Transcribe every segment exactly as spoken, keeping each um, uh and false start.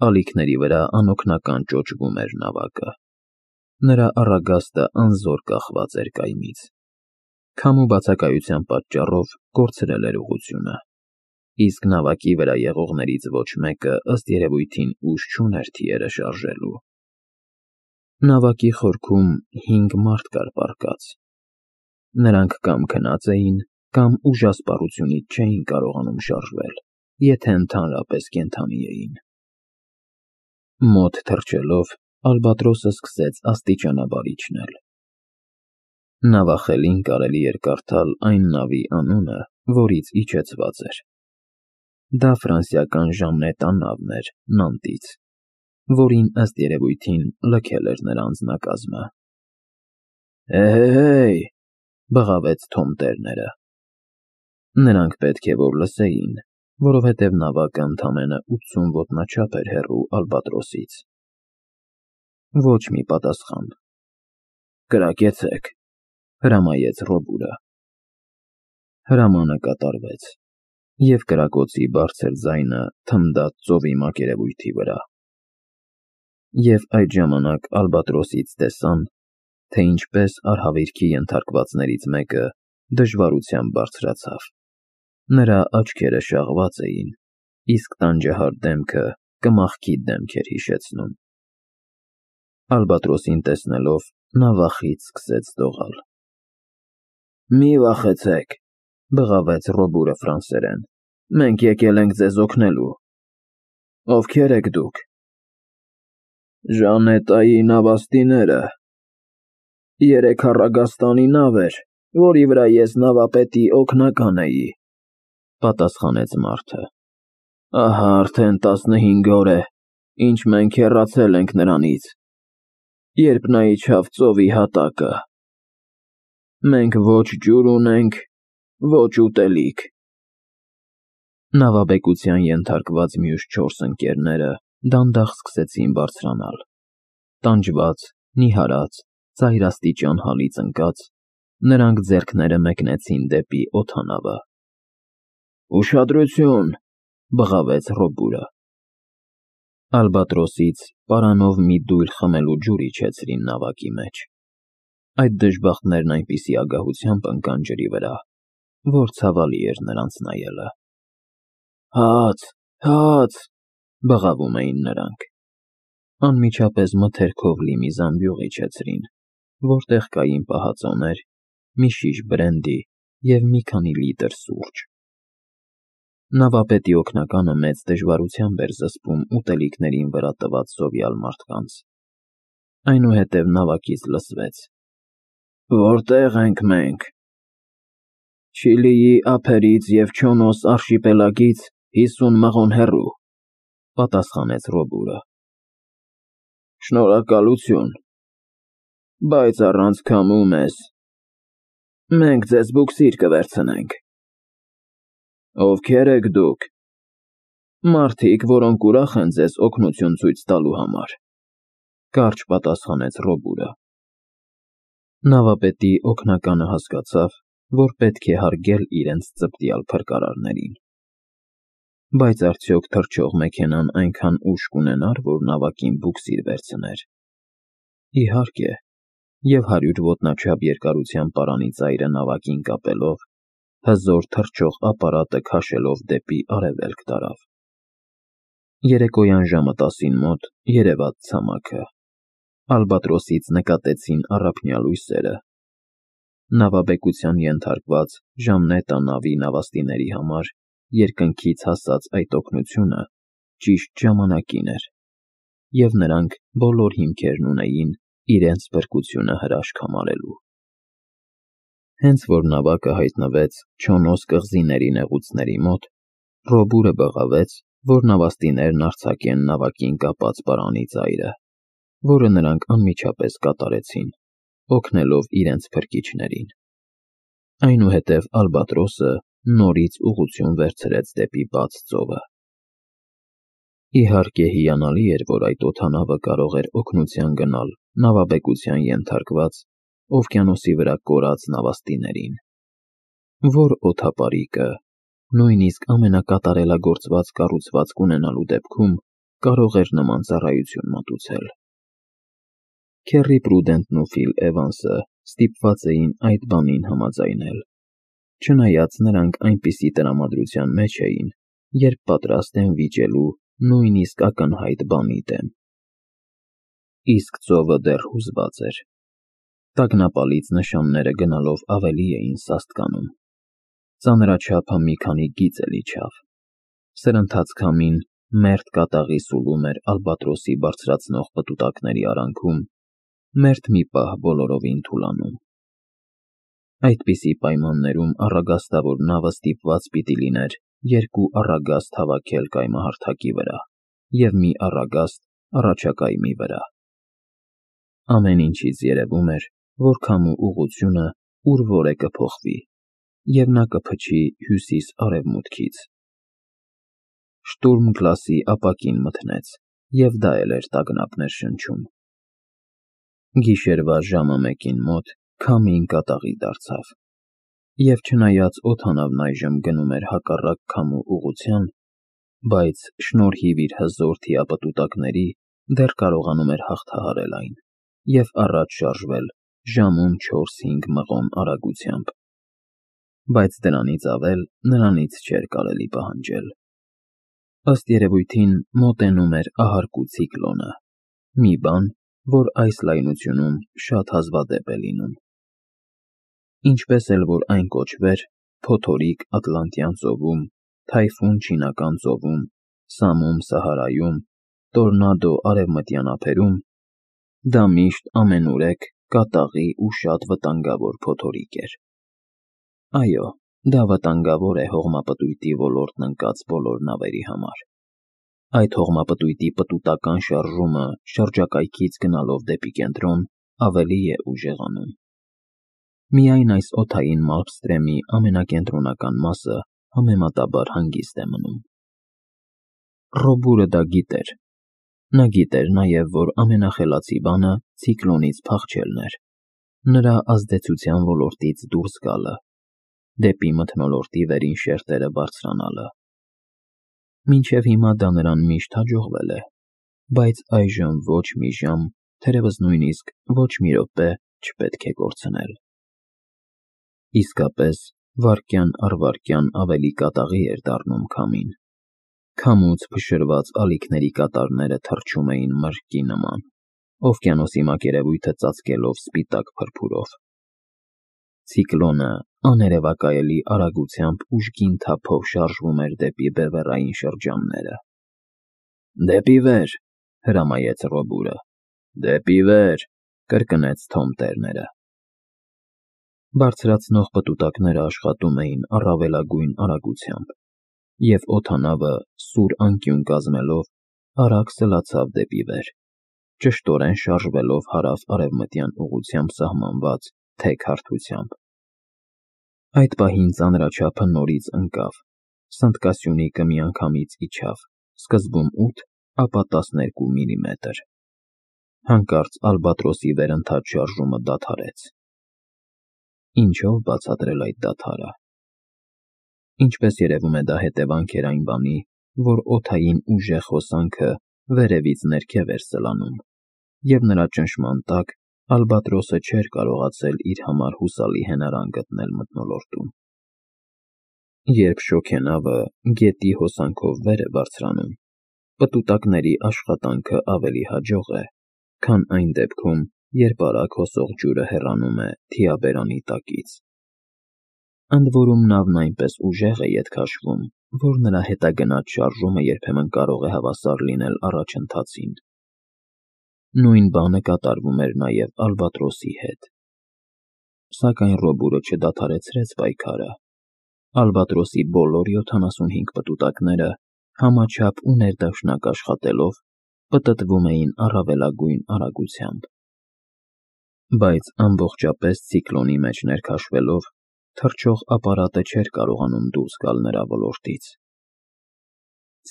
Ալիքների վրա անօգնական ճոճվում էր նավակը։ Նրա առագաստը անզոր կախված էր կայմից։ Քամու բացակայության պատճառով կորցրել էր ուղղությունը, իսկ նավակի վրա եղողներից ոչ մեկը ըստ երևույթին ուժ չուներ թիերը շարժելու։ Նավակի խորքում հինգ մարդ կար պառկած։ Նրանք կամ քնած էին, կամ ուժասպառությունից չէին կարողանում շարժվել, եթե ընդհանրապես կենդանի էին։ Մոտ թռչելով, ալբատրոսը սկսեց աստիճանաբար իջնել։ Նավախելին կարելի էր կարդալ այն նավի անունը, որից իջեցված էր։ Դա ֆրանսիական ժամնետա նավն էր Նանտից, որին ըստ երևույթին լքել էր նրա անձնակազմը։ «Հե՜հե՜հեյ», բղավեց Թոմ Տերները։ Նրանք պետք է որ լսեին, որովհետև նավակը ընդամենը ութսուն ոտնաչափ էր հեռու ալբատրոսից։ Ոչ մի պատասխան։ «Կրակեցեք», հրամայեց Ռոբուրը։ Հրամանը կատարվեց, և կրակոցի բարձր ձայնը թնդաց ծովի մակերևույթի վրա։ Եվ այդ ժամանակ ալբատրոսից տեսան, թե ինչպես արհավիրքի ենթարկվածներից մեկը դժվարությամբ բարձրացավ։ Նրա աչքերը շաղված էին, իսկ տանջահար դեմքը կմախքի դեմք էր հիշեցնում։ Ալբատրոսին տեսնելով, նա վախից սկսեց դողալ։ «Մի վախեցեք», բղավեց Ռոբուրը ֆրանսերեն։ «Մենք եկել ենք ձեզ օգնելու»։ «Ովքե՞ր եք դուք»։ «Ժանետայի նավաստիները։ Երեք առագաստանի նավ էր, որի վրա ես նավապետի օգնական էի», պատասխանեց մարդը։ «Ահա արդեն տասնհինգ օր է, ինչ մենք հեռացել ենք նրանից, երբ նա իջավ ծովի հատակը։ Մենք ոչ ջուր ունենք, ոչ ուտելիք»։ Նավաբեկության ենթարկված մյուս չորս ընկերները դանդաղ սկսեցին բարձրանալ։ Տանջված, նիհարած, ծայրաստիճան հալից ընկած, նրանք ձեռքները մեկնեցին դեպի օդանավը։ «Ուշադրություն», բղավեց Ռոբուրը։ Ալբատրոսից պարանով մի դույլ խմելու ջուր իջեցրին նավակի մեջ։ Այդ դժբախտներն այնպիսի ագահությամբ ընկան ջրի վրա, որ ցավալի էր նրանց նայելը։ «Հաց, հաց», բղավում էին նրանք։ Անմիջապես մթերքով լի մի զամբյուղ իջեցրին, որտեղ կային պահածոներ, մի շիշ բրենդի և մի քանի լիտր սուրճ։ Նավապետի օգնականը մեծ դժվարությամբ էր զսպում ուտելիքներին վրա տված սովյալ մարդկանց։ Այնուհետև նավակից լսվեց. «Որտե՞ղ ենք մենք»։ «Չիլիի ափերից և Չոնոս արշիպելագից հիսուն մղոն հեռու», պատասխանեց Ռոբուրը։ «Շնորհակալություն, բայց առանց քամու մեզ։ Մենք ձեզ բուքսիր կվերցնենք»։ «Ովքե՞ր եք դուք»։ «Մարդիկ, որոնք ուրախ են ձեզ օգնություն ցույց տալու համար», կարճ պատասխանեց Ռոբուրը։ Նավապետի օգնականը հասկացավ, որ պետք է հարգել իրենց ծպտյալ փրկարարներին։ Բայց արդյոք թռչող մեքենան այնքան ուժ կունենար, որ նավակին բուքսիր վերցներ։ Իհարկե, և հարյուր ոտնաչափ երկարության պարանի ծայրը նավակին կապելով, հզոր թռչող ապարատը քաշելով դեպի արևելք տարավ։ Երեկոյան ժամը տասին մոտ երևաց ցամաքը։ Ալբատրոսից նկատեցին առափնյա լույսերը։ Նավաբեկության ենթարկված ժամնետա նավի նավաստիների համար երկնքից հասած այդ օգնությունը ճիշտ ժամանակին էր, և նրանք բոլոր հիմքերն ունեին իրենց փրկությունը հրաշք համարելու։ Հենց որ նավակը հայտնվեց Չոնոս կղզիների նեղուցների մոտ, Ռոբուրը բղավեց, որ նավաստիներն արձակեն նավակին կապած պարանի ծայրը, որը նրանք անմիջապես կատարեցին, օգնելով իրենց փրկիչներին։ Այնուհետև ալբատրոսը նորից ուղղություն վերցրեց դեպի բաց ծովը։ Իհարկե հիանալի էր, որ այդ օդանավը կարող էր օգնության գնալ նավաբեկության ենթարկված, օվկիանոսի վրա կորած նավաստիներին։ Որ օդապարիկը, նույնիսկ ամենակատարելագործված կառուցվածք ունենալու դեպքում, կարող էր նման ծառայություն մատուցել։ Քերի Պրուդենտն ու Ֆիլ Էվանսը ստիպված էին այդ բանին համաձայնել, չնայած նրանք այնպիսի տրամադրության մեջ էին, երբ պատրաստ են վիճելու նույնիսկ ակնհայտ բանի դեմ։ Իսկ ծովը դեռ հուզված էր։ Տագնապալից նշանները գնալով ավելի էին սաստկանում։ Ծանրաչափը մի քանի գիծ էլ իջավ։ Սրընթաց քամին մերթ կատաղի սուլում էր ալբատրոսի բարձրացնող պտուտակների արանքում, մերթ մի պահ բոլորովին թուլանում։ Այդպիսի պայմաններում առագաստավոր նավը ստիպված պիտի լիներ երկու առագաստ հավաքել կայմահարթակի վրա և մի առագաստ առաջակայմի վրա։ Ամեն ինչից երևում էր, որ քամու ուղղությունը ուր որ է կփոխվի, և նա կփչի հյուսիս֊արևմուտքից։ Շտուրմ Գլասի ապակին մթնեց, և դա էլ էր տագնապներ շնչում։ Գիշերվա ժամը մեկին մոտ քամին կատաղի դարձավ, և չնայած օդանավն այժմ գնում էր հակառակ քամու ուղղության, բայց շնորհիվ իր հզոր թիապտուտակների դեռ կարողանում էր հաղթահարել այն և առաջ շարժվել ժամում չորս֊հինգ մղոն արագությամբ։ Բայց դրանից ավել նրանից չէր կարելի պահանջել։ Ըստ երևույթին մոտենում էր ահարկու ցիկլոնը, մի բան, որ այս լայնությունում շատ հազվադեպ է լինում։ Ինչպես էլ որ այն կոչվեր փոթորիկ Ատլանտյան ծովում, թայֆուն Չինական ծովում, սամում Սահարայում, տորնադո արևմտյան ափերում, դա միշտ ամենուրեք, կատաղի ու շատ վտանգավոր փոթորիկ էր։ Այո, դա վտանգավոր է հողմապտույտի ոլորտն ընկած բոլոր նավերի համար։ Այդ հողմապտույտի պտուտական շարժումը շրջակայքից գնալով դեպի կենտրոն ավելի է ուժեղանում։ Միայն այս օդային Մալմստրեմի ամենակենտրոնական մասը համեմատաբար հանգիստ է մնում։ Ռոբուրը դա գիտեր։ Նա գիտեր նաև, որ ամենախելացի բանը ցիկլոնից փախչելն էր, նրա ազդեցության ոլորտից դուրս գալը, դեպի մթնոլորտի վերին շերտերը բարձրանալը։ Մինչև հիմա դա նրան միշտ հաջողվել է, բայց այժմ ոչ մի ժամ, թերևս նույնիսկ ոչ մի րոպե չպետք է կորցնել։ Իսկապես, վայրկյան առ վայրկյան ավելի կատաղի էր դառնում քամին։ Քամուց փշրված ալիքների կատարները թռչում էին մրրկի նման, օվկիանոսի մակերևույթը ծածկելով սպիտակ փրփուրով։ Ցիկլոնը աներևակայելի արագությամբ ուժգին թափով շարժվում էր դեպի բևեռային շրջանները։ «Դեպի վեր», հրամայեց Ռոբուրը։ «Դեպի վեր», կրկնեց Թոմ Տերները։ Բարձրացնող պտուտակները աշխատում էին առավելագույն արագությամբ, և օդանավը, սուր անկյուն կազմելով, արագ սլացավ դեպի վեր, ճշտորեն շարժվելով հարավ֊արևմտյան ուղղությամբ սահմանված թեք հարթությամբ։ Այդ պահին ծանրաչափը նորից ընկավ, սնդկասյունիկը միանգամից իջավ, սկզբում ութ, ապա տասներկու միլիմետր։ Հանկարծ ալբատրոսի վերընթաց շարժումը դադարեց։ Ինչո՞վ բացատրել այդ դադարը։ Ինչպես երևում է, դա հետևանք էր այն բանի, որ օդային ուժեղ հոսանքը վերևից ներքև էր սլանում, և նրա ճնշման տակ ալբատրոսը չէր կարողացել իր համար հուսալի հենարան գտնել մթնոլորտում։ Երբ շոգենավը գետի հոսանքով վեր է բարձրանում, պտուտակների աշխատանքը ավելի հաջող է, քան այն դեպքում, երբ արագ հոսող ջուրը հեռանում է թիաբերանի տակից։ Ընդ որում նավն այնպես ուժեղ է ետ քաշվում, որ նրա հետագնաց շարժումը երբեմն կարող է հավասար լինել առաջընթացին։ Նույն բանը կատարվում էր նաև ալբատրոսի հետ։ Սակայն Ռոբուրը չդադարեցրեց պայքարը։ Ալբատրոսի բոլոր յոթանասունհինգ պտուտակները համաչափ ու ներդաշնակ աշխատելով պտտվում էին առավելագույն արագությամբ։ Բայց ամբողջապես ցիկլոնի մեջ ներքաշվելով, թռչող ապարատը չէր կարողանում դուրս գալ նրա ոլորտից։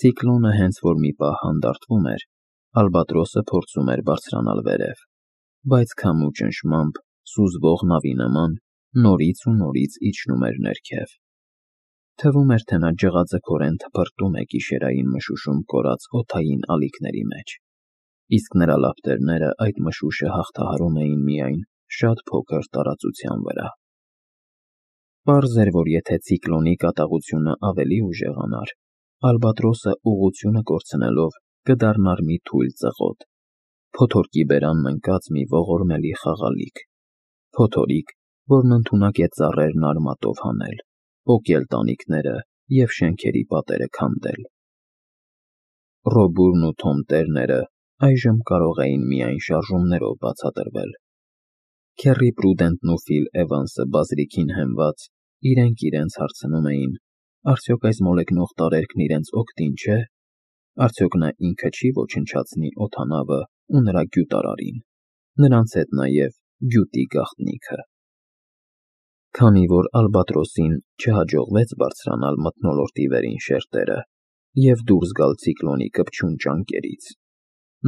Ցիկլոնը հենց որ մի պահ հանդարտվում էր, ալբատրոսը փորձում էր բարձրանալ վերև, բայց քամու ճնշմամբ, սուզվող նավի նման, նորից ու նորից իջնում էր ներքև։ Թվում էր, թե նա ջղաձգորեն թփրտում է գիշերային մշուշում կորած օդային ալիքների մեջ, իսկ նրա լապտերները այդ մշուշը հաղթահարում էին միայն շատ փոքր տարածության վրա։ Պարզ էր, որ եթե ցիկլոնի կատաղությունը ավելի ուժեղանար, ալբատրոսը ուղղությունը կորցնելով կդառնար մի թույլ ծղոտ, փոթորկի բերանն ընկած մի ողորմելի խաղալիք, փոթորիկ, որն ընդունակ է ծառերն արմատով հանել, պոկել տանիքները և շենքերի պատերը քանդել։ Ռոբուրն ու Թոմ Տերները այժմ կարող էին միայն շարժումներով բացատրվել։ Քերի Պրուդենտն ու Ֆիլ Էվանսը բազրիքին հենված իրենք իրենց հարցնում էին. արդյոք այս մոլեգնող տարերքն իրենց օգտին չէ, արդյոք նա ինքը չի ոչնչացնի օդանավը ու նրա գյուտարարին, նրանց հետ նաև գյուտի գաղտնիքը։ Քանի որ ալբատրոսին չհաջողվեց բարձրանալ մթնոլորտի վերին շերտերը և դուրս գալ ցիկլոնի կպչուն ճանկերից,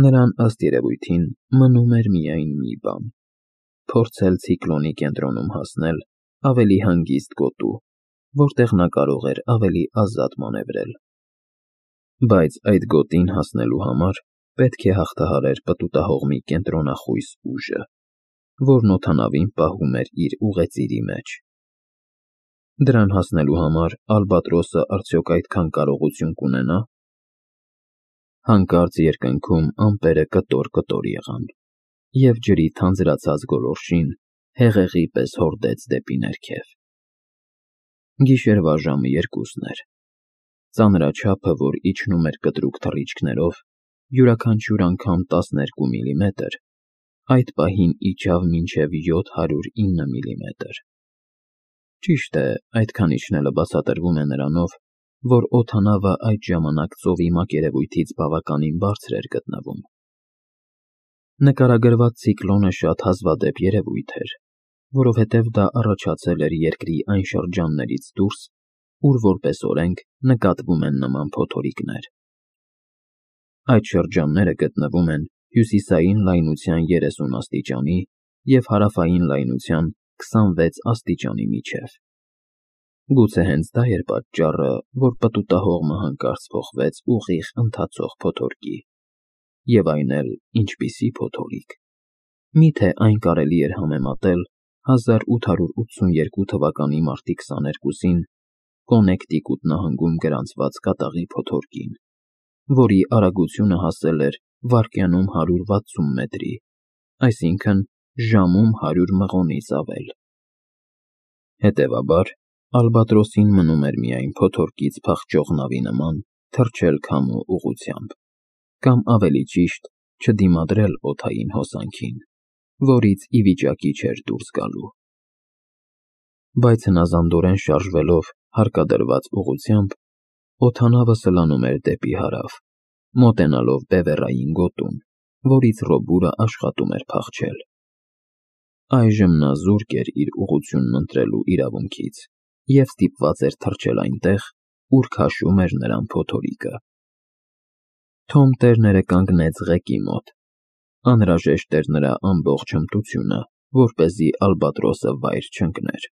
նրան ըստ երևույթին մնում էր միայն մի բան՝ փորձել ցիկլոնի կենտրոնում հասնել ավելի հանգիստ գոտու, որտեղ նա կարող էր ավելի ազատ մանևրել։ Բայց այդ գոտին հասնելու համար պետք է հաղթահարեր պտուտահողմի կենտրոնախույս ուժը, որն օդանավին պահում էր իր ուղեծիրի մեջ։ Դրան հասնելու համար ալբատրոսը արդյոք այդքան կարողություն կունենա՞։ Հանկարծ երկնքում ամպերը կտոր-կտոր եղան, և ջրի թանձրացած գոլորշին հեղեղի պես հորդեց դեպի ներքև։ Գիշերվա ժամը երկուսն էր։ Ծանրաչափը, որ իջնում էր կտրուկ թռիչքներով, յուրաքանչյուր անգամ տասներկու միլիմետր, այդ պահին իջավ մինչև յոթ հարյուր ինը միլիմետր։ Ճիշտ է, այդքան իջնելը բացատրվում է նրանով, որ օդանավը այդ ժամանակ ծովի մակերևույթից բավականին բարձր էր գտնվում։ Նկարագրված ցիկլոնը շատ հազվադեպ երևույթ էր, որովհետև դա առաջացել էր երկրի այն շրջաններից դուրս, ուր որպես օրենք նկատվում են նման փոթորիկներ։ Այդ շրջանները գտնվում են հյուսիսային լայնության երեսուն աստիճանի և հարավային լայնության քսանվեց աստիճանի միջև։ Գուցե հենց դա էր պատճառը, որ պտուտահողմը հանկարծ փոխվեց ուղիղ ընթացող փոթորկի։ Եվ այն էլ ինչպիսի փոթորիկ։ Միթե այն կարելի էր համեմատել հազար ութ հարյուր ութսուններկու թվականի մարտի քսաներկուսին Կոնեկտիկուտ նահանգում գրանցված կատաղի փոթորկին, որի արագությունը հասել էր վայրկյանում հարյուր վաթսուն մետրի, այսինքն ժամում հարյուր մղոնից ավել։ Հետևաբար, ալբատրոսին մնում էր միայն փոթորկից փախչող նավի նման թռչել քամու ուղղությամբ, կամ ավելի ճիշտ, չդիմադրել օդային հոսանքին, որից ի վիճակի չէր դուրս գալու։ Բայց հնազանդորեն շարժվելով հարկադրված ուղղությամբ, օդանավը սլանում էր դեպի հարավ, մոտենալով բևեռային գոտուն, որից Ռոբուրը աշխատում էր փախչել։ Այժմ նա զուրկ էր իր ուղղությունն ընտրելու իրավունքից և ստիպված էր թռչել այնտեղ, ուր քաշում էր նրան փոթորիկը։ Թոմ Տերները կանգնեց ղեկի մոտ։ Անհրաժեշտ էր նրա ամբողջ հմտությունը, որպեսզի ալբատրոսը վայր չընկներ։